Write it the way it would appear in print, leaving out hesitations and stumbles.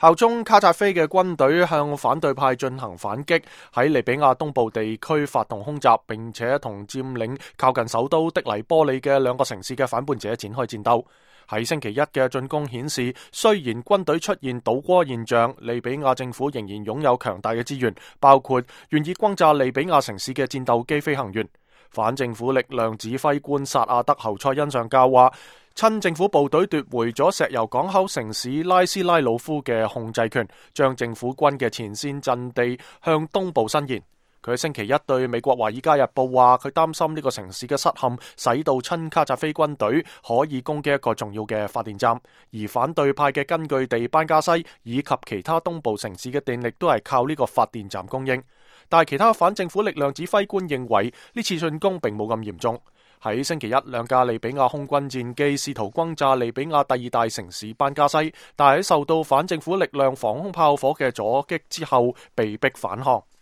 效忠卡扎菲嘅軍隊向反對派進行反擊，喺利比亞東部地區發動空襲，並且同佔領靠近首都的黎波里嘅兩個城市嘅反叛者展開戰鬥。喺星期一嘅進攻顯示，雖然軍隊出現倒戈現象，利比亞政府仍然擁有強大嘅資源，包括願意轟炸利比亞城市嘅戰鬥機飛行員。反政府力量指揮官薩亞德侯賽因上校話，親政府部隊奪回咗石油港口城市拉斯拉魯夫嘅控制權，將政府軍嘅前線陣地向東部伸延。佢喺星期一對美國華爾街日報話，佢擔心呢個城市嘅失陷，使到親卡扎菲軍隊可以攻擊一個重要嘅發電站，而反對派嘅根據地班加西以及其他東部城市嘅電力都係靠呢個發電站供應。但係其他反政府力量指揮官認為呢次進攻並冇咁嚴重。喺星期一，兩架利比亞空軍戰機試圖轟炸利比亞第二大城市班加西，但係喺受到反政府力量防空炮火嘅阻擊之後，被迫返航。